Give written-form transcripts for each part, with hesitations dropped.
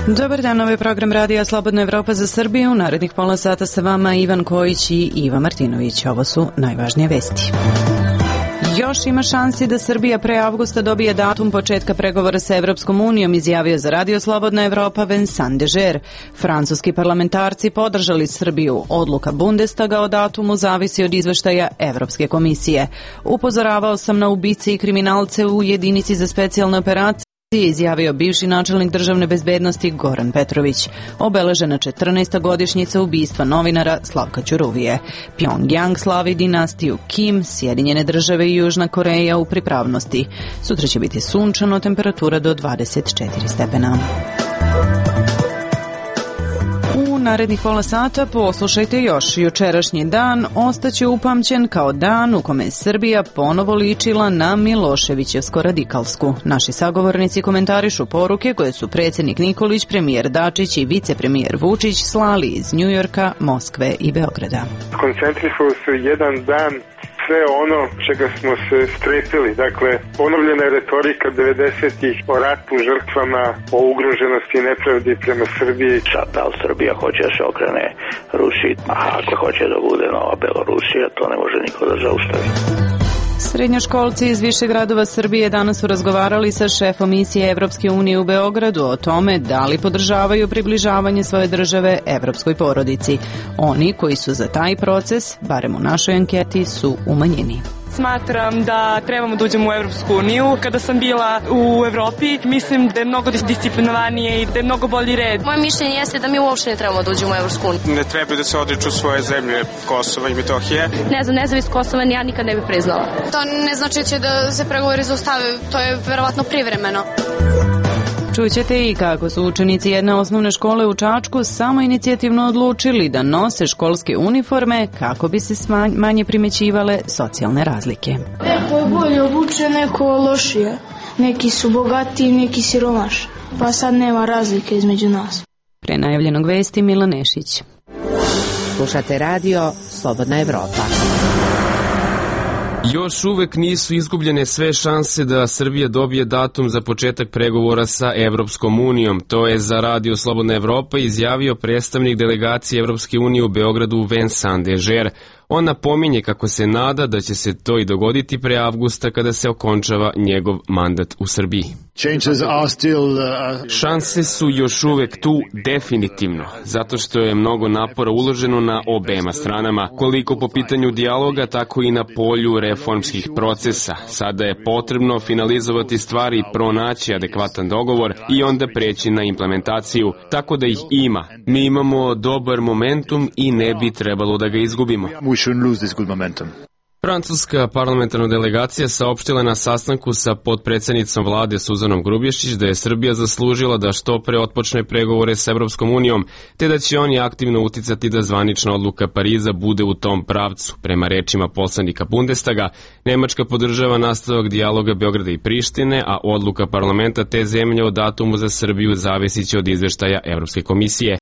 Dobar dan, ovo je program Radija Slobodna Evropa za Srbiju. U narednih pola sata sa vama Ivan Kojić i Iva Martinović. Ovo su najvažnije vesti. Još ima šansi da Srbija pre avgusta dobije datum početka pregovora sa Evropskom unijom, izjavio za Radio Slobodna Evropa Vincent Dežer. Francuski parlamentarci podržali Srbiju. Odluka Bundestaga o datumu zavisi od izveštaja Evropske komisije. Upozoravao sam na ubice i kriminalce u jedinici za specijalne operacije, izjavio bivši načelnik državne bezbednosti Goran Petrović. Obeležena 14. godišnjica ubistva novinara Slavka Ćuruvije. Pjongjang slavi dinastiju Kim, Sjedinjene države i Južna Koreja u pripravnosti. Sutra će biti sunčano, temperatura do 24 stepena. U narednih pola sata poslušajte još. Jučerašnji dan ostaće upamćen kao dan u kome je Srbija ponovo ličila na Miloševićevsko radikalsku. Naši sagovornici komentarišu poruke koje su predsjednik Nikolić, premijer Dačić i vicepremijer Vučić slali iz Njujorka, Moskve i Beograda. Koncentrisali su jedan dan sve ono čega smo se strepili. Dakle, ponovljena je retorika 90-ih o ratu, žrtvama, o ugroženosti i nepravdi prema Srbiji. Sad, da li Srbija hoće da se okrene Rusiji, a ako hoće da bude nova Belorusija, to ne može niko da zaustavi. Srednjoškolci iz više gradova Srbije danas su razgovarali sa šefom misije Evropske unije u Beogradu o tome da li podržavaju približavanje svoje države evropskoj porodici. Oni koji su za taj proces, barem u našoj anketi, su u manjini. Smatram da trebamo da uđemo u Evropsku uniju. Kada sam bila u Evropi, mislim da je mnogo disciplinovanije i da je mnogo bolji red. Moje mišljenje jeste da mi uopšte ne trebamo da uđemo u Evropsku uniju. Ne treba da se odriču svoje zemlje, Kosova i Metohije. Ne znam, nezavis Kosova ja nikad ne bih priznala. To ne znači će da se pregovori zaustave, to je verovatno privremeno. Čućete i kako su učenici jedne osnovne škole u Čačku samoinicijativno odlučili da nose školske uniforme kako bi se manje primećivale socijalne razlike. Neko je bolje obučen, neko lošije. Neki su bogati, neki siromaš. Pa sad nema razlike između nas. Pre najavljenog vesti Mila Nešić. Slušate radio Slobodna Evropa. Još uvek nisu izgubljene sve šanse da Srbija dobije datum za početak pregovora sa Evropskom unijom. To je za Radio Slobodna Evropa izjavio predstavnik delegacije Evropske unije u Beogradu Vincent Dežer. On napominje kako se nada da će se to i dogoditi pre avgusta kada se okončava njegov mandat u Srbiji. Šanse su još uvek tu definitivno, zato što je mnogo napora uloženo na obema stranama, koliko po pitanju dijaloga, tako i na polju reformskih procesa. Sada je potrebno finalizovati stvari i pronaći adekvatan dogovor i onda preći na implementaciju, tako da ih ima. Mi imamo dobar momentum i ne bi trebalo da ga izgubimo. Francuska parlamentarna delegacija saopštila na sastanku sa potpredsednicom vlade Suzanom Grubješić da je Srbija zaslužila da što pre otpočne pregovore sa Evropskom unijom, te da će oni aktivno uticati da zvanična odluka Pariza bude u tom pravcu. Prema rečima poslanika Bundestaga, Nemačka podržava nastavak dijaloga Beograda i Prištine, a odluka parlamenta te zemlje o datumu za Srbiju zavisiće od izveštaja Evropske komisije.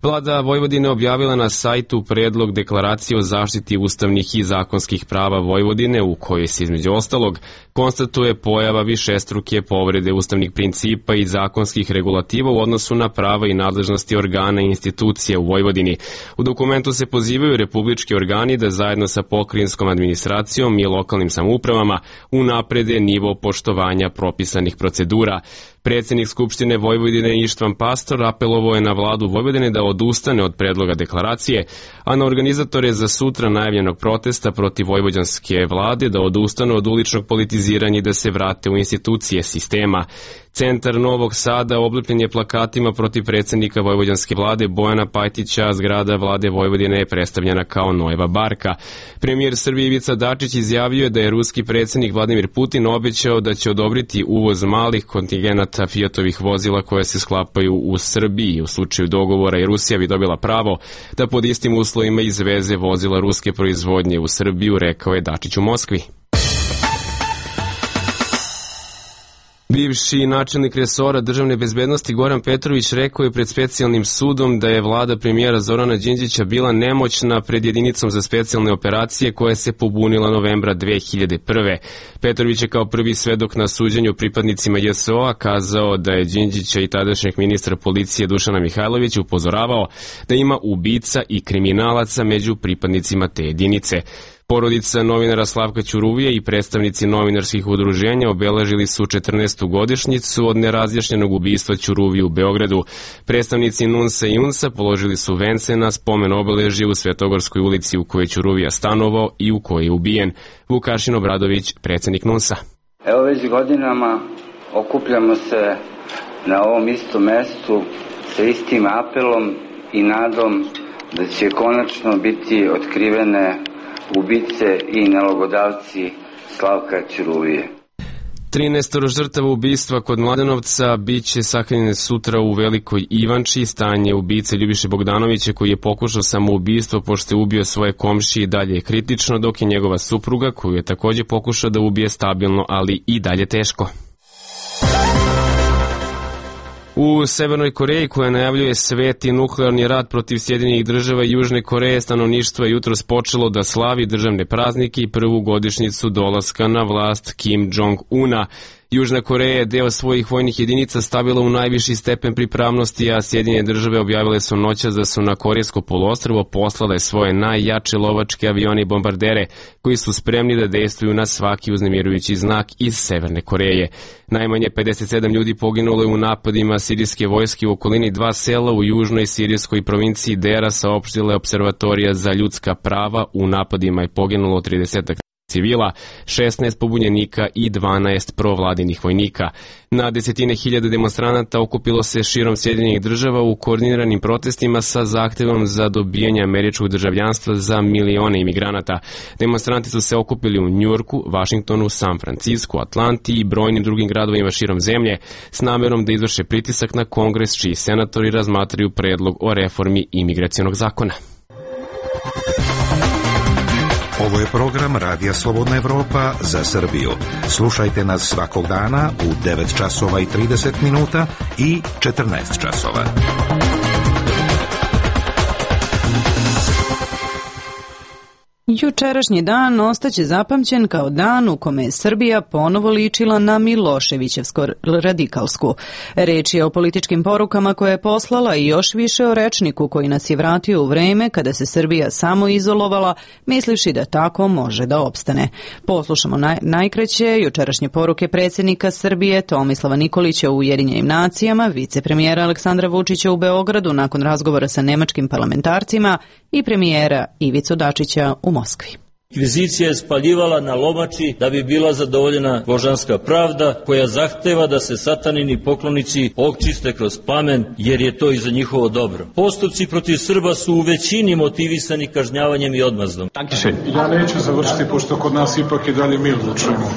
Vlada Vojvodine objavila na sajtu predlog deklaracije o zaštiti ustavnih i zakonskih prava Vojvodine u kojoj se između ostalog konstatuje pojava višestruke povrede ustavnih principa i zakonskih regulativa u odnosu na prava i nadležnosti organa i institucija u Vojvodini. U dokumentu se pozivaju republički organi da zajedno sa pokrajinskom administracijom i lokalnim samoupravama unaprede nivo poštovanja propisanih procedura. Predsjednik Skupštine Vojvodine Ištvan Pastor apelovao je na vladu Vojvodine da odustane od predloga deklaracije, a na organizatore za sutra najavljenog protesta protiv vojvođanske vlade da odustanu od uličnog politiziranja i da se vrate u institucije sistema. Centar Novog Sada oblepljen je plakatima protiv predsjednika vojvođanske vlade Bojana Pajtića, a zgrada vlade Vojvodine je predstavljena kao Nojeva barka. Premijer Srbije Ivica Dačić izjavio je da je ruski predsjednik Vladimir Putin obećao da će odobriti uvoz malih kontingenata Fiatovih vozila koje se sklapaju u Srbiji. U slučaju dogovora i Rusija bi dobila pravo da pod istim uslovima izveze vozila ruske proizvodnje u Srbiju, rekao je Dačić u Moskvi. Bivši načelnik resora državne bezbednosti Goran Petrović rekao je pred specijalnim sudom da je vlada premijera Zorana Đinđića bila nemoćna pred jedinicom za specijalne operacije koja se pobunila novembra 2001. Petrović je kao prvi svedok na suđenju pripadnicima JSO-a kazao da je Đinđića i tadašnjeg ministra policije Dušana Mihajlovića upozoravao da ima ubica i kriminalaca među pripadnicima te jedinice. Porodica novinara Slavka Ćuruvije i predstavnici novinarskih udruženja obeležili su 14. godišnjicu od nerazjašnjenog ubistva Ćuruvije u Beogradu. Predstavnici NUNS-a i UNS-a položili su vence na spomen obeležje u Svetogorskoj ulici u kojoj je Ćuruvija stanovao i u kojoj je ubijen. Vukašin Obradović, predsjednik NUNS-a. Evo već godinama okupljamo se na ovom istom mestu sa istim apelom i nadom da će konačno biti otkrivene ubice i nalogodavci Slavka Ćuruvije. 13 žrtava ubistva kod Mladenovca biće sahranjene sutra u Velikoj Ivanči. Stanje ubice Ljubiše Bogdanovića, koji je pokušao samoubistvo pošto je ubio svoje komšije, i dalje je kritično, dok je njegova supruga, koju je takođe pokušao da ubije, stabilno, ali i dalje teško. U Severnoj Koreji, koja najavljuje sveti nuklearni rat protiv Sjedinjenih Država i Južne Koreje, stanovništvo je jutros počelo da slavi državne praznike i prvu godišnjicu dolaska na vlast Kim Jong-una. Južna Koreja je deo svojih vojnih jedinica stavila u najviši stepen pripravnosti, a Sjedinjene Države objavile su noćas da su na Korejsko poluostrvo poslale svoje najjače lovačke avione i bombardere, koji su spremni da dejstvuju na svaki uznemirujući znak iz Severne Koreje. Najmanje 57 ljudi poginulo je u napadima sirijske vojske u okolini 2 sela u južnoj sirijskoj provinciji Dera, saopštila je Observatorija za ljudska prava. U napadima je poginulo 30 civila, 16 pobunjenika i 12 provladinih vojnika. Na desetine hiljada demonstranata okupilo se širom Sjedinjenih Država u koordiniranim protestima sa zahtevom za dobijanje američkog državljanstva za milione imigranata. Demonstranti su se okupili u Njujorku, Vašingtonu, San Francisku, Atlanti i brojnim drugim gradovima širom zemlje s namerom da izvrše pritisak na Kongres, čiji senatori razmatraju predlog o reformi imigracionog zakona. Ovo je program Radija Slobodna Evropa za Srbiju. Slušajte nas svakog dana u 9 časova i 30 minuta i 14 časova. Jučerašnji dan ostaće zapamćen kao dan u kome je Srbija ponovo ličila na Miloševićevsko radikalsku. Reč je o političkim porukama koje je poslala i još više o rečniku koji nas je vratio u vreme kada se Srbija samo izolovala, mislivši da tako može da opstane. Poslušamo najkraće jučerašnje poruke predsjednika Srbije Tomislava Nikolića u Ujedinjenim nacijama, vicepremijera Aleksandra Vučića u Beogradu nakon razgovora sa nemačkim parlamentarcima i premijera Ivicu Dačića u Moskvi. Inkvizicija je spaljivala na lomači da bi bila zadovoljena božanska pravda koja zahteva da se satanini poklonici očiste kroz plamen jer je to i za njihovo dobro. Postupci protiv Srba su u većini motivisani kažnjavanjem i odmazdom. Ja neću završiti pošto kod nas ipak i dalje mi odlučujemo,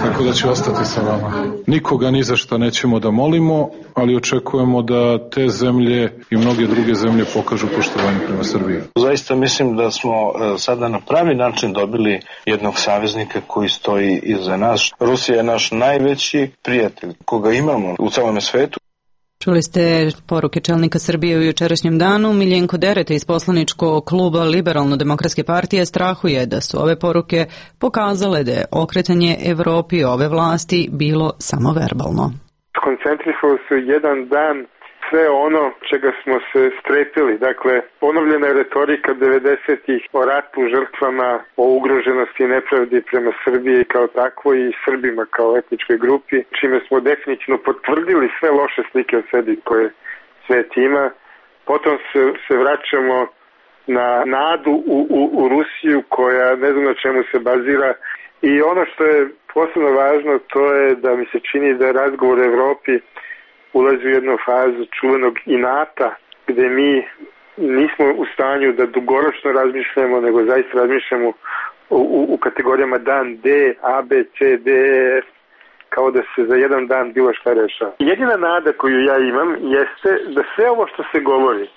tako da ću ostati sa vama. Nikoga ni za što nećemo da molimo, ali očekujemo da te zemlje i mnoge druge zemlje pokažu poštovanje prema Srbiji. Zaista mislim da smo sada na pravi način dobili jednog saveznika koji stoji iza nas. Rusija je naš najveći prijatelj koga imamo u celom svetu. Čuli ste poruke čelnika Srbije u jučerašnjem danu. Miljenko Dereta iz poslaničkog kluba Liberalno-demokratske partije strahuje da su ove poruke pokazale da je okretanje Evropi ove vlasti bilo samo verbalno. Koncentrisalo se jedan dan sve ono čega smo se strepili. Dakle, ponovljena je retorika 90-ih o ratu, žrtvama, o ugroženosti i nepravdi prema Srbiji kao takvoj i Srbima kao etničkoj grupi, čime smo definitivno potvrdili sve loše slike o sebi koje svet ima. Potom se vraćamo na nadu u Rusiju koja ne znam na čemu se bazira. I ono što je posebno važno, to je da mi se čini da je razgovor u Evropi ulazi u jednu fazu čuvenog inata, gde mi nismo u stanju da dugoročno razmišljamo, nego zaista razmišljamo u kategorijama dan D, A, B, C, D, E, F, kao da se za jedan dan bilo šta rešava. Jedina nada koju ja imam jeste da sve ovo što se govori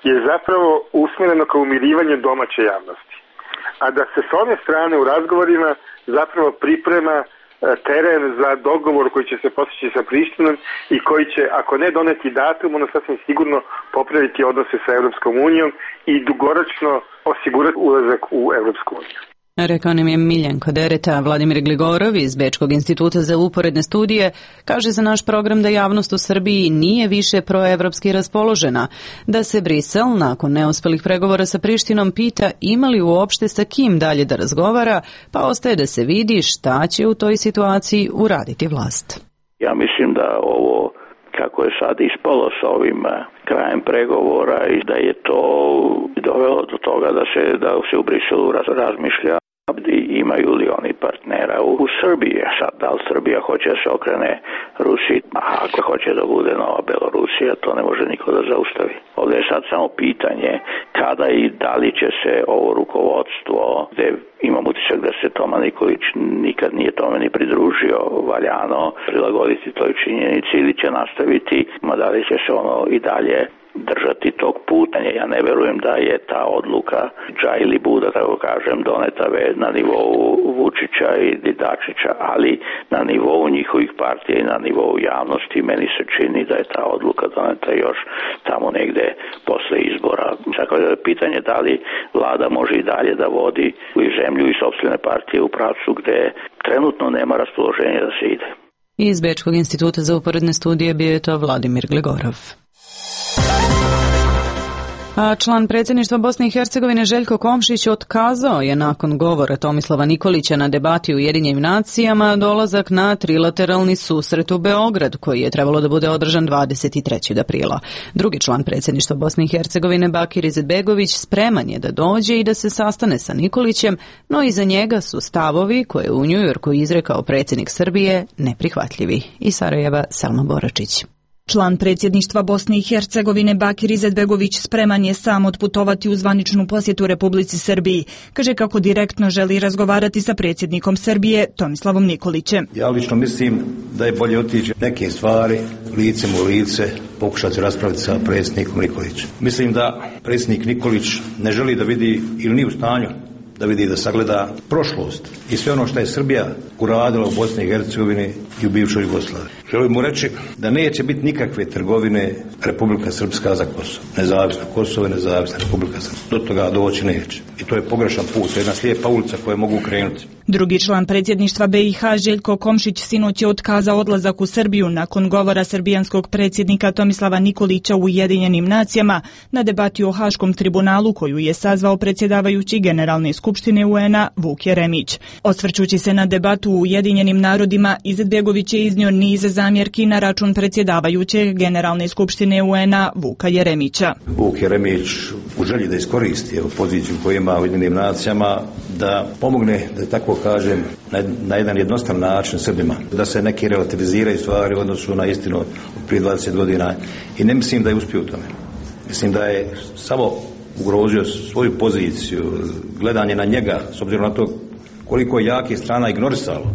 je zapravo usmjereno kao umirivanje domaće javnosti. A da se s ove strane u razgovorima zapravo priprema teren za dogovor koji će se postići sa Prištinom i koji će, ako ne doneti datum, ono sasvim sigurno popraviti odnose sa Evropskom unijom i dugoročno osigurati ulazak u Evropsku uniju. Rekao nam je Miljenko Dereta. Vladimir Gligorov iz Bečkog instituta za uporedne studije kaže za naš program da javnost u Srbiji nije više proevropski raspoložena, da se Brisel nakon neuspelih pregovora sa Prištinom pita ima li uopšte sa kim dalje da razgovara, pa ostaje da se vidi šta će u toj situaciji uraditi vlast. Ja mislim da ovo kako je sad ispalo sa ovim krajem pregovora i da je to dovelo do toga da se u Briselu razmišlja imaju li oni partnera u Srbiji. Sad, da li Srbija hoće da se okrene Rusiji? Ako hoće da bude nova Belorusija, to ne može niko da zaustavi. Ovdje je sad samo pitanje kada i da li će se ovo rukovodstvo, gde imam utisak da se Toma Nikolić nikad nije tome ni pridružio valjano, prilagoditi toj činjenici ili će nastaviti, da li će se ono i dalje držati tog puta. Ja ne verujem da je ta odluka dža ili buda, tako kažem, doneta na nivou Vučića i Dačića, ali na nivou njihovih partija i na nivou javnosti meni se čini da je ta odluka doneta još tamo negde posle izbora. Tako da je pitanje da li vlada može i dalje da vodi i zemlju i sopstvene partije u pravcu gde trenutno nema raspoloženja da se ide. Iz Bečkog instituta za uporedne studije bio je to Vladimir Gligorov. A član predsjedništva Bosne i Hercegovine Željko Komšić otkazao je nakon govora Tomislava Nikolića na debati u Ujedinjenim nacijama dolazak na trilateralni susret u Beograd koji je trebalo da bude održan 23. aprila. Drugi član predsjedništva Bosne i Hercegovine Bakir Izetbegović spreman je da dođe i da se sastane sa Nikolićem, no iza njega su stavovi koje u Njujorku izrekao predsjednik Srbije neprihvatljivi. Iz Sarajeva Selma Boračić. Član predsjedništva Bosne i Hercegovine Bakir Izetbegović spreman je sam otputovati u zvaničnu posjetu Republici Srbiji. Kaže kako direktno želi razgovarati sa predsjednikom Srbije Tomislavom Nikolićem. Ja lično mislim da je bolje otići neke stvari licem u lice, pokušati raspraviti sa predsjednikom Nikolićem. Mislim da predsjednik Nikolić ne želi da vidi ili nije u stanju da vidi da sagleda prošlost i sve ono što je Srbija uradila u Bosni i Hercegovini i u bivšoj Jugoslaviji. Želim mu reći da neće biti nikakve trgovine Republika Srpska za Kosovo. Nezavisno Kosovo i nezavisna Republika Srpska. Do toga doći neće. I to je pogrešan put, to je jedna slijepa ulica koje mogu krenuti. Drugi član predsjedništva BiH Željko Komšić sinoć je otkazao odlazak u Srbiju nakon govora srbijanskog predsjednika Tomislava Nikolića u Ujedinjenim nacijama na debati o Haškom tribunalu koju je sazvao predsjedavajući Generalne skupštine UN-a Vuk Jeremić. Osvrćući se na debatu u Ujedinjenim narodima, Izetbegović je iznio niz zamjerki na račun predsjedavajućeg Generalne skupštine UN-a Vuka Jeremića. Vuk Jeremić u želji da iskoristi poziciju koju ima u Ujedinjenim nacijama da pomogne, da tako kažem, na jedan jednostavan način Srbima, da se neki relativiziraju stvari u odnosu na istinu prije 20 godina i ne mislim da je uspio u tome. Mislim da je samo ugrozio svoju poziciju, gledanje na njega, s obzirom na to koliko je jakih strana ignorisalo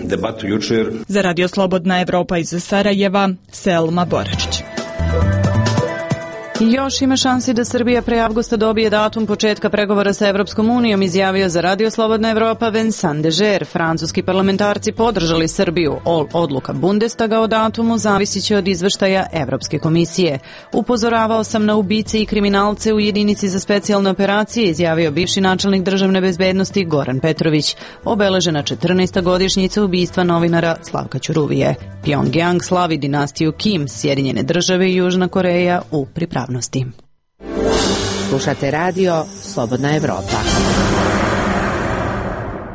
debatu jučer. Za Radio Slobodna Evropa iz Sarajeva, Selma Boračić. Još ima šansi da Srbija pre avgusta dobije datum početka pregovora sa Evropskom unijom, izjavio za Radio Slobodna Evropa Vincent Dežer. Francuski parlamentarci podržali Srbiju. Odluka Bundestaga o datumu zavisiće od izveštaja Evropske komisije. Upozoravao sam na ubice i kriminalce u jedinici za specijalne operacije, izjavio bivši načelnik državne bezbednosti Goran Petrović. Obeležena 14. godišnjica ubistva novinara Slavka Ćuruvije. Pyongyang slavi dinastiju Kim, Sjedinjene države i Južna Koreja u pripravnosti. Slušate radio Slobodna Evropa.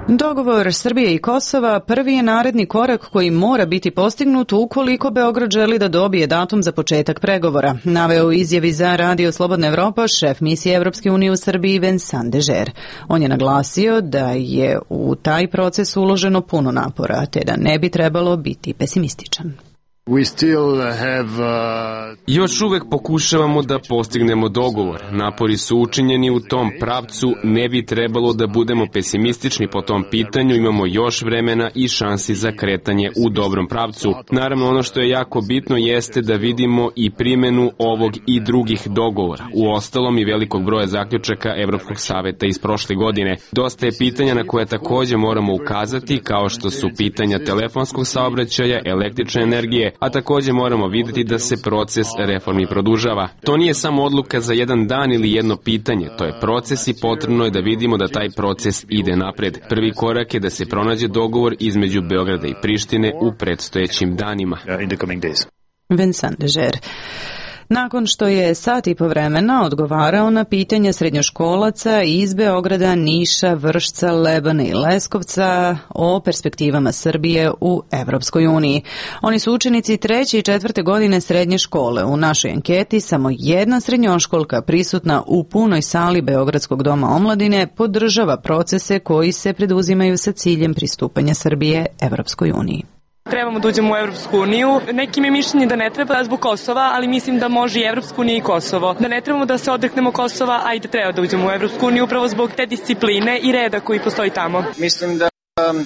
Dogovor Srbije i Kosova prvi je naredni korak koji mora biti postignut ukoliko Beograd želi da dobije datum za početak pregovora, naveo u izjavi za Radio Slobodna Evropa šef misije Evropske unije u Srbiji Vincent Dežer. On je naglasio da je u taj proces uloženo puno napora, te da ne bi trebalo biti pesimističan. Još uvek pokušavamo da postignemo dogovor. Napori su učinjeni u tom pravcu, ne bi trebalo da budemo pesimistični po tom pitanju, imamo još vremena i šansi za kretanje u dobrom pravcu. Naravno, ono što je jako bitno jeste da vidimo i primenu ovog i drugih dogovora. U ostalom i velikog broja zaključaka Evropskog saveta iz prošle godine. Dosta je pitanja na koje takođe moramo ukazati, kao što su pitanja telefonskog saobraćaja, električne energije, a takođe moramo videti da se proces reformi produžava. To nije samo odluka za jedan dan ili jedno pitanje, to je proces i potrebno je da vidimo da taj proces ide napred. Prvi korak je da se pronađe dogovor između Beograda i Prištine u predstojećim danima. Vincent Leger. Nakon što je sat i po vremena odgovarao na pitanja srednjoškolaca iz Beograda, Niša, Vršca, Lebana i Leskovca o perspektivama Srbije u Evropskoj uniji. Oni su učenici 3. i 4. godine srednje škole. U našoj anketi samo jedna srednjoškolka prisutna u punoj sali Beogradskog doma omladine podržava procese koji se preduzimaju sa ciljem pristupanja Srbije Evropskoj uniji. Trebamo da uđemo u Evropsku uniju. Nekim je mišljenje da ne treba zbog Kosova, ali mislim da može i Evropsku uniju i Kosovo. Da ne trebamo da se odreknemo Kosova, a i da treba da uđemo u Evropsku uniju upravo zbog te discipline i reda koji postoji tamo. Mislim da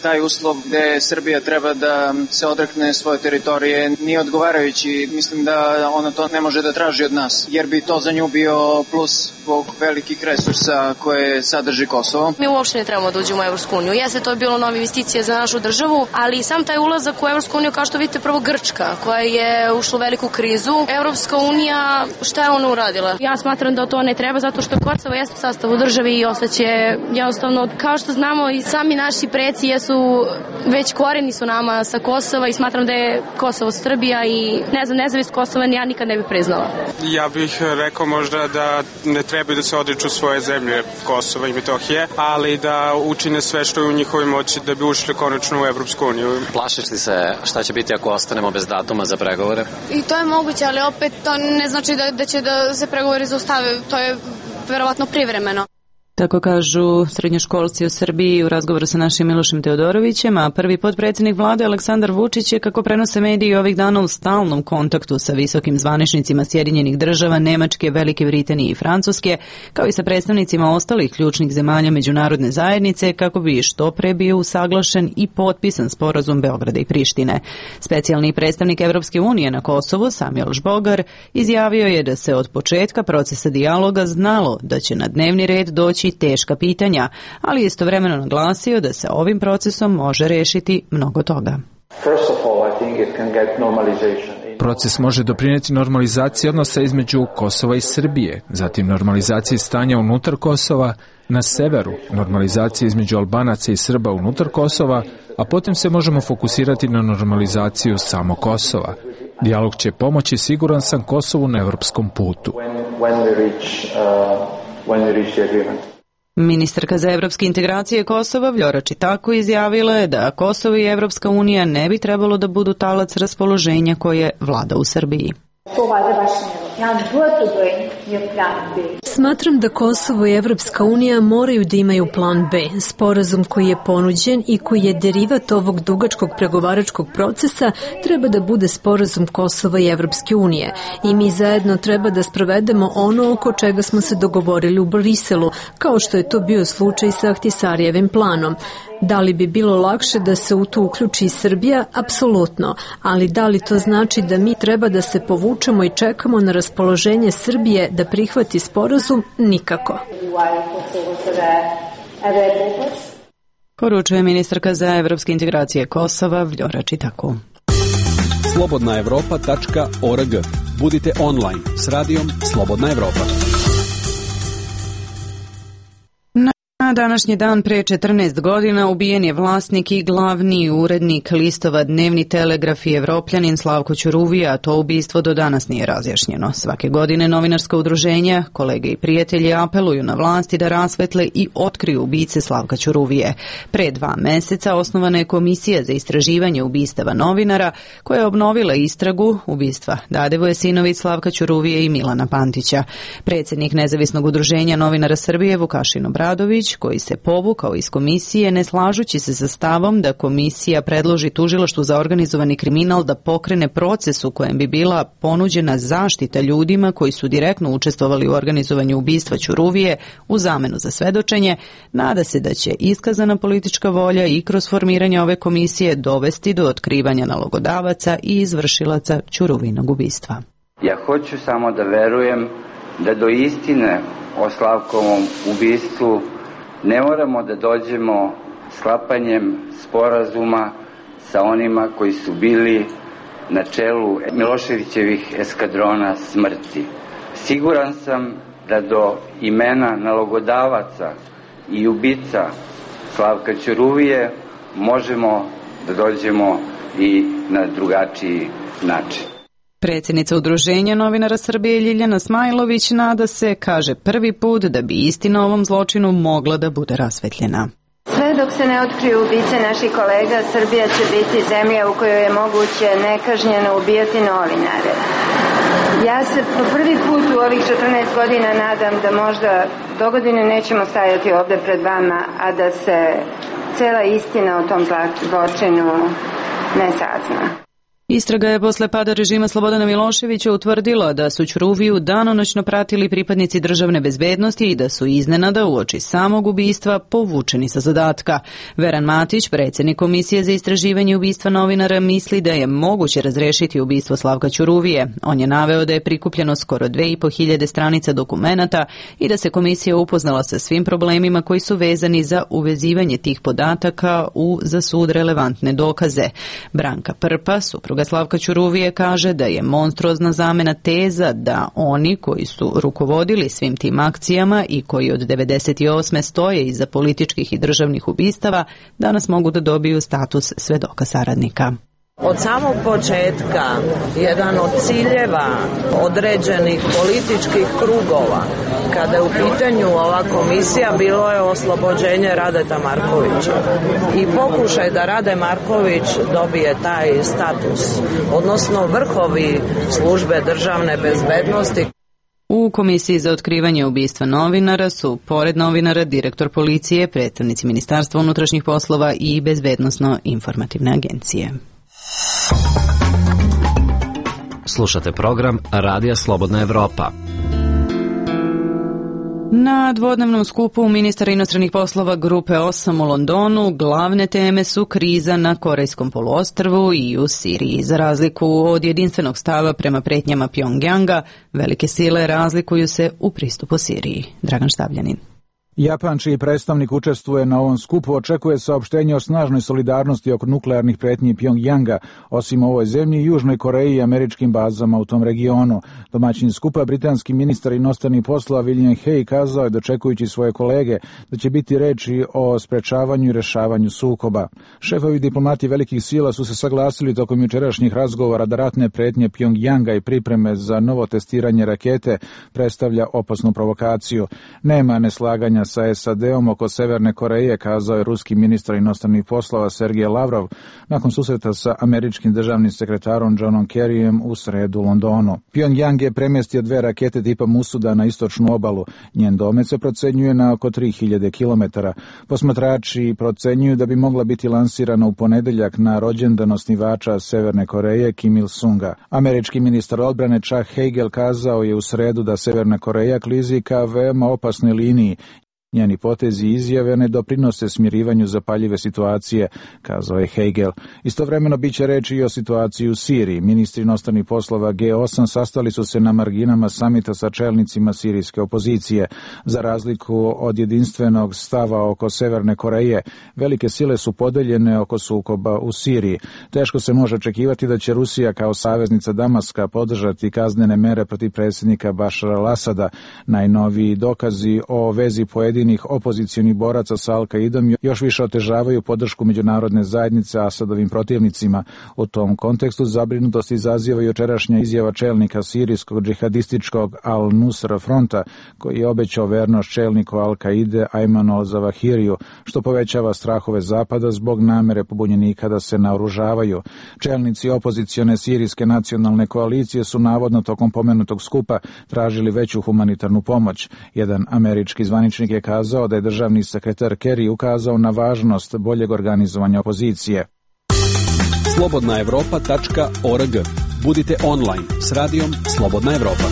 taj uslov gde Srbija treba da se odrekne svoje teritorije nije odgovarajući. Mislim da ona to ne može da traži od nas, jer bi to za nju bio plus zbog velikih resursa koje sadrži Kosovo. Mi uopšte ne trebamo da uđemo u Evropsku uniju. Jeste, to je bilo nova investicija za našu državu, ali sam taj ulazak u Evropsku uniju, kao što vidite, prvo Grčka, koja je ušla u veliku krizu. Evropska unija, šta je ona uradila? Ja smatram da to ne treba, zato što Kosovo jeste u sastavu države i ostaće jednostavno, kao što znamo i sami naši preci jesu, već koreni su nama sa Kosova i smatram da je Kosovo Srbija i ne znam, nezavisno Kosova ja nikad ne bih priznala. Ja bih rekao možda da ne trebaju da se odriču svoje zemlje Kosova i Metohije, ali da učine sve što je u njihovoj moći da bi ušli konačno u Evropsku uniju. Plašiš li se šta će biti ako ostanemo bez datuma za pregovore? I to je moguće, ali opet to ne znači da će da se pregovori zaustave, to je verovatno privremeno. Tako kažu srednjoškolci u Srbiji u razgovoru sa našim Milošem Teodorovićem, a prvi potpredsjednik vlade Aleksandar Vučić je, kako prenose mediji, ovih dana u stalnom kontaktu sa visokim zvaničnicima Sjedinjenih država, Nemačke, Velike Britanije i Francuske, kao i sa predstavnicima ostalih ključnih zemalja međunarodne zajednice, kako bi što pre bio usaglašen i potpisan sporazum Beograda i Prištine. Specijalni predstavnik Evropske unije na Kosovu, Samuel Žbogar, izjavio je da se od početka procesa dijaloga znalo da će na dnevni red doći teška pitanja, ali istovremeno naglasio da se ovim procesom može rešiti mnogo toga. Proces može doprineti normalizaciji odnosa između Kosova i Srbije, zatim normalizaciji stanja unutar Kosova, na severu normalizacija između Albanaca i Srba unutar Kosova, a potom se možemo fokusirati na normalizaciju samo Kosova. Dijalog će pomoći, siguran sam, Kosovu na evropskom putu. Ministarka za evropske integracije Kosova Vljora Čitako izjavila je da Kosovo i Evropska unija ne bi trebalo da budu talac raspoloženja koje vlada u Srbiji. Smatram da Kosovo i Evropska unija moraju da imaju plan B. Sporazum koji je ponuđen i koji je derivat ovog dugačkog pregovaračkog procesa treba da bude sporazum Kosova i Evropske unije. I mi zajedno treba da sprovedemo ono oko čega smo se dogovorili u Briselu, kao što je to bio slučaj sa Ahtisarijevim planom. Da li bi bilo lakše da se u to uključi Srbija? Apsolutno. Ali da li to znači da mi treba da se povučemo i čekamo na raspoloženje Srbije da prihvati sporazum? Nikako. Poručuje ministarka za evropske integracije Kosova Vljora Čitako. slobodnaevropa.org. Budite online s radijom Slobodna Evropa. Na današnji dan pre 14 godina ubijen je vlasnik i glavni urednik listova Dnevni telegraf i Evropljanin Slavko Ćuruvija, a to ubistvo do danas nije razjašnjeno. Svake godine novinarska udruženja, kolege i prijatelji apeluju na vlasti da rasvetle i otkriju ubice Slavka Ćuruvije. Pre 2 meseca osnovana je komisija za istraživanje ubistava novinara koja je obnovila istragu ubistva Dadevoje Sinović, Slavka Ćuruvije i Milana Pantića. Predsjednik Nezavisnog udruženja novinara Srbije Vukašin Obradović Matić, koji se povukao iz komisije ne slažući se sa stavom da komisija predloži tužilaštvu za organizovani kriminal da pokrene proces u kojem bi bila ponuđena zaštita ljudima koji su direktno učestvovali u organizovanju ubistva Ćuruvije u zamenu za svedočenje, nada se da će iskazana politička volja i kroz formiranje ove komisije dovesti do otkrivanja nalogodavaca i izvršilaca Ćuruvinog ubistva. Ja hoću samo da verujem da do istine o Slavkovom ubistvu ne moramo da dođemo sklapanjem sporazuma sa onima koji su bili na čelu Miloševićevih eskadrona smrti. Siguran sam da do imena nalogodavaca i ubica Slavka Ćuruvije možemo da dođemo i na drugačiji način. Predsjednica Udruženja novinara Srbije Ljiljana Smajlović nada se, kaže, prvi put da bi istina o ovom zločinu mogla da bude rasvetljena. Sve dok se ne otkriju ubice naših kolega, Srbija će biti zemlja u kojoj je moguće nekažnjeno ubijati novinare. Ja se po prvi put u ovih 14 godina nadam da možda dogodine nećemo stajati ovde pred vama, a da se cela istina o tom zločinu ne sazna. Istraga je posle pada režima Slobodana Miloševića utvrdila da su Ćuruviju danonoćno pratili pripadnici državne bezbednosti i da su iznenada uoči samog ubistva povučeni sa zadatka. Veran Matić, predsjednik Komisije za istraživanje ubistva novinara, misli da je moguće razrešiti ubistvo Slavka Ćuruvije. On je naveo da je prikupljeno skoro 2500 stranica dokumenata i da se komisija upoznala sa svim problemima koji su vezani za uvezivanje tih podataka u za sud relevantne dokaze. Branka Prpa, supruga Slavka Ćuruvije, kaže da je monstruozna zamena teza da oni koji su rukovodili svim tim akcijama i koji od 1998. stoje iza političkih i državnih ubistava danas mogu da dobiju status svedoka saradnika. Od samog početka jedan od ciljeva određenih političkih krugova kada je u pitanju ova komisija bilo je oslobođenje Radeta Markovića i pokušaj da Rade Marković dobije taj status, odnosno vrhovi službe državne bezbednosti. U Komisiji za otkrivanje ubistva novinara su, pored novinara, direktor policije, predstavnici Ministarstva unutrašnjih poslova i Bezbednosno-informativne agencije. Slušate program Radija Slobodna Evropa. Na dvodnevnom skupu ministara inostranih poslova Grupe 8 u Londonu glavne teme su kriza na Korejskom poluostrvu i u Siriji. Za razliku od jedinstvenog stava prema pretnjama Pjongjanga, velike sile razlikuju se u pristupu Siriji. Dragan Štavljanin. Japan, čiji predstavnik učestvuje na ovom skupu, očekuje saopštenje o snažnoj solidarnosti oko nuklearnih pretnji Pjongjanga, osim ovoj zemlji, Južnoj Koreji i američkim bazama u tom regionu. Domaćin skupa, britanski ministar inostranih poslova William Hague, kazao je, dočekujući svoje kolege, da će biti reči o sprečavanju i rešavanju sukoba. Šefovi diplomati velikih sila su se saglasili tokom jučerašnjih razgovora da ratne pretnje Pjongjanga i pripreme za novo testiranje rakete predstavlja opasnu provokaciju. Nema neslaganja sa SAD-om oko Severne Koreje, kazao je ruski ministar inostranih poslova Sergej Lavrov nakon susreta sa američkim državnim sekretarom Johnom Kerryjem u sredu u Londonu. Pjongjang je premjestio 2 rakete tipa Musuda na istočnu obalu. Njen domet se procenjuje na oko 3000 km. Posmatrači procenjuju da bi mogla biti lansirana u ponedeljak na rođendan osnivača Severne Koreje Kim Il-sunga. Američki ministar odbrane Chuck Hagel kazao je u sredu da Severna Koreja klizi ka veoma opasnoj liniji. Njeni potezi i izjave ne doprinose smirivanju zapaljive situacije, kazao je Hagel. Istovremeno biće reči i o situaciji u Siriji. Ministri inostranih poslova G8 sastali su se na marginama samita sa čelnicima sirijske opozicije. Za razliku od jedinstvenog stava oko Severne Koreje, velike sile su podeljene oko sukoba u Siriji. Teško se može očekivati da će Rusija kao saveznica Damaska podržati kaznene mere protiv predsjednika Bašara al-Asada. Najnoviji dokazi o vezi pojedinih opozicionih boraca sa Al-Kaidom još više otežavaju podršku međunarodne zajednice Asadovim protivnicima. U tom kontekstu zabrinutost izaziva jučerašnja izjava čelnika sirijskog džihadističkog Al-Nusra fronta, koji je obećao vernost čelniku Al-Kaide Ajmanu al-Zawahiriju, što povećava strahove Zapada zbog namere pobunjenika da se naoružavaju. Čelnici opozicione sirijske nacionalne koalicije su navodno tokom pomenutog skupa tražili veću humanitarnu pomoć. Jedan američki zvaničnik je kazao da je državni sekretar Kerry ukazao na važnost boljeg organizovanja opozicije. slobodnaevropa.org. Budite online s radijom Slobodna Evropa.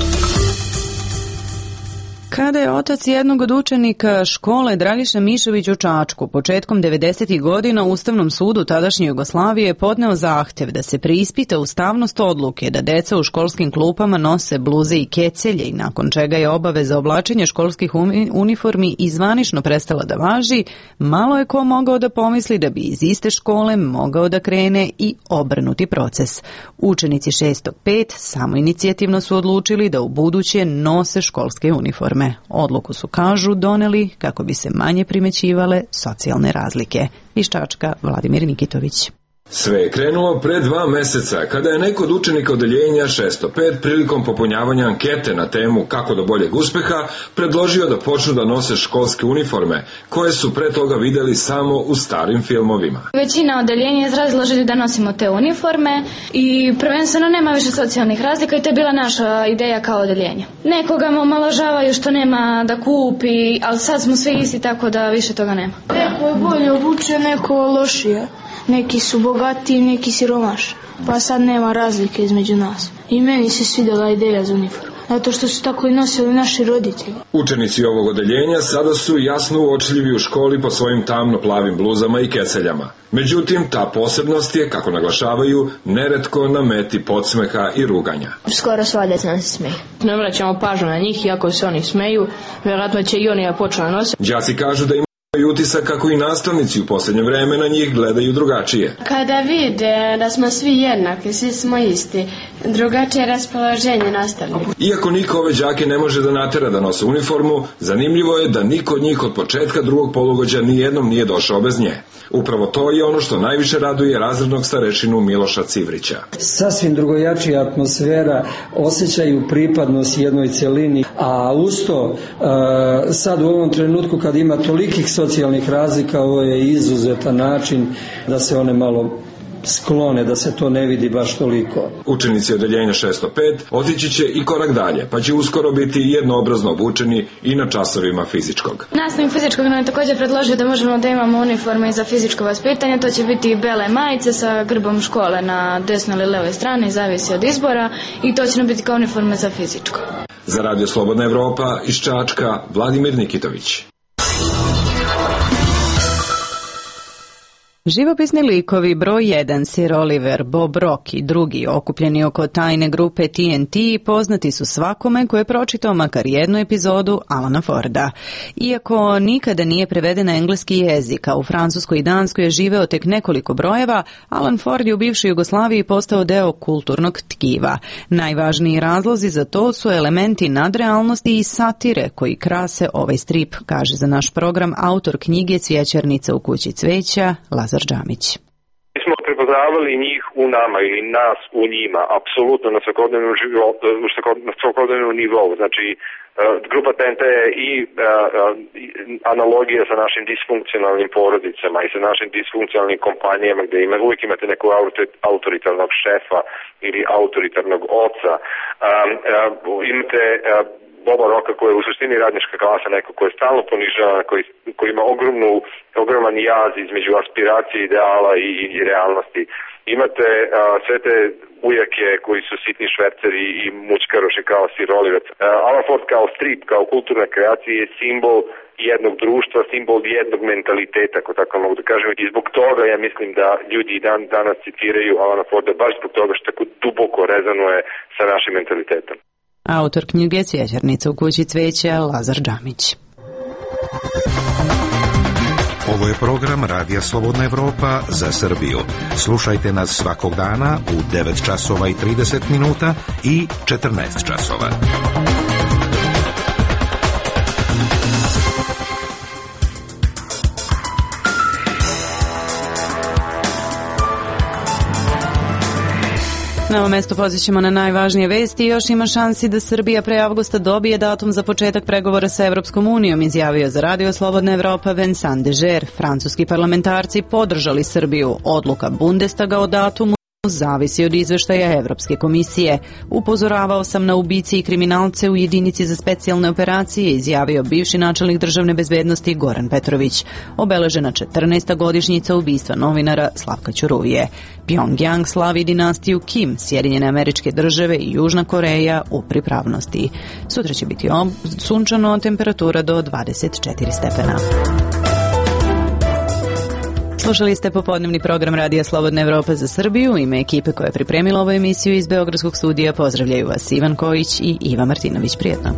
Kada je otac jednog od učenika škole Dragiša Mišović u Čačku početkom 90. godina Ustavnom sudu tadašnje Jugoslavije podneo zahtev da se preispita ustavnost odluke da deca u školskim klupama nose bluze i kecelje i nakon čega je obaveza oblačenja školskih uniformi i zvanično prestala da važi, malo je ko mogao da pomisli da bi iz iste škole mogao da krene i obrnuti proces. Učenici 6.5 samoinicijativno su odlučili da u buduće nose školske uniforme. Odluku su, kažu, doneli kako bi se manje primećivale socijalne razlike. Iz Čačka, Vladimir Nikitović. Sve je krenulo pre 2 meseca, kada je neko od učenika odeljenja 605 prilikom popunjavanja ankete na temu kako do boljeg uspeha predložio da počnu da nose školske uniforme, koje su pre toga videli samo u starim filmovima. Većina odeljenja je izrazila želju da nosimo te uniforme i prvenstveno nema više socijalnih razlika i to je bila naša ideja kao odeljenje. Nekoga me omalovažavaju što nema da kupi, ali sad smo svi isti, tako da više toga nema. Neko je bolje obučen, neko lošije. Neki su bogatiji, neki siromašni, pa sad nema razlike između nas. I meni se svidjela ideja za uniformu, zato što su tako i nosili naši roditelji. Učenici ovog odeljenja sada su jasno uočljivi u školi po svojim tamno-plavim bluzama i keseljama. Međutim, ta posebnost je, kako naglašavaju, neretko na meti podsmeha i ruganja. Skoro sva deca nam se smeju. Ne vraćamo pažnju na njih, iako se oni smeju, vjerojatno će i oni početi nositi. Đaci kažu da i utisak kako i nastavnici u posljednje vreme na njih gledaju drugačije. Kada vide da smo svi jednaki, svi smo isti, drugačije raspoloženje nastavnika. Iako niko ove đake ne može da natera da nose uniformu, zanimljivo je da niko od njih od početka drugog polugođa nijednom nije došao bez nje. Upravo to je ono što najviše raduje razrednog starešinu Miloša Civrića. Sasvim drugojačija atmosfera, osjećaju pripadnost jednoj celini, a usto sad u ovom trenutku kad ima tolikih socijalnih razlika, ovo je izuzetan način da se one malo sklone, da se to ne vidi baš toliko. Učenici odeljenja 605 otići će i korak dalje, pa će uskoro biti jednoobrazno obučeni i na časovima fizičkog. Nastavnik fizičkog nam je također predložio da možemo da imamo uniforme i za fizičko vaspitanje, to će biti bele majice sa grbom škole na desnoj ili levoj strani, zavisi od izbora, i to će nam biti kao uniforme za fizičko. Za Radio Slobodna Evropa iz Čačka, Vladimir Nikitović. Živopisni likovi broj 1 Sir Oliver, Bob Rock i drugi okupljeni oko tajne grupe TNT poznati su svakome ko je pročitao makar jednu epizodu Alana Forda. Iako nikada nije preveden na engleski jezik, a u Francuskoj i Danskoj je živeo tek nekoliko brojeva, Alan Ford je u bivšoj Jugoslaviji postao deo kulturnog tkiva. Najvažniji razlozi za to su elementi nadrealnosti i satire koji krase ovaj strip, kaže za naš program autor knjige Cvjećarnica u kući cveća, Lazar Džamić. Mi smo prepoznavali njih u nama ili nas u njima, apsolutno na svakodnevnom nivou. Znači, grupa TNT je i analogija sa našim disfunkcionalnim porodicama i sa našim disfunkcionalnim kompanijama gdje uvijek imate nekog autoritarnog šefa ili autoritarnog oca. Imate Boba Rocka koji je u suštini radnička klasa, neko koji je stalno ponižavan, koji ima ogroman jaz između aspiracije, ideala i realnosti. Imate sve te ujake koji su sitni šverceri i mućkaroši kao Sir Oliver. Alan Ford kao strip, kao kulturna kreacija je simbol jednog društva, simbol jednog mentaliteta, ako tako mogu da kažem. I zbog toga ja mislim da ljudi danas citiraju Alana Forda baš zbog toga što tako duboko rezonuje sa našim mentalitetom. Autor knjige Cvjećarnica u kući cveća, Lazar Džamić. Ovo je program Radija Slobodna Evropa za Srbiju. Slušajte nas svakog dana u 9 časova i 30 minuta i 14 časova. Na ovo mesto pozićemo na najvažnije vesti. Još ima šansi da Srbija pre avgusta dobije datum za početak pregovora sa Evropskom unijom, izjavio za Radio Slobodna Evropa Vincent Deger. Francuski parlamentarci podržali Srbiju. Odluka Bundestaga o datumu zavisi od izveštaja Evropske komisije. Upozoravao sam na ubice i kriminalce u jedinici za specijalne operacije, izjavio bivši načelnik državne bezbednosti Goran Petrović. Obeležena 14. godišnjica ubistva novinara Slavka Ćuruvije. Pyongyang slavi dinastiju Kim, Sjedinjene Američke Države i Južna Koreja u pripravnosti. Sutra će biti sunčano, temperatura do 24 stepena. Slušali ste popodnevni program Radija Slobodna Evropa za Srbiju. U ime ekipe koja je pripremila ovu emisiju iz Beogradskog studija pozdravljaju vas Ivan Kojić i Iva Martinović. Prijetno.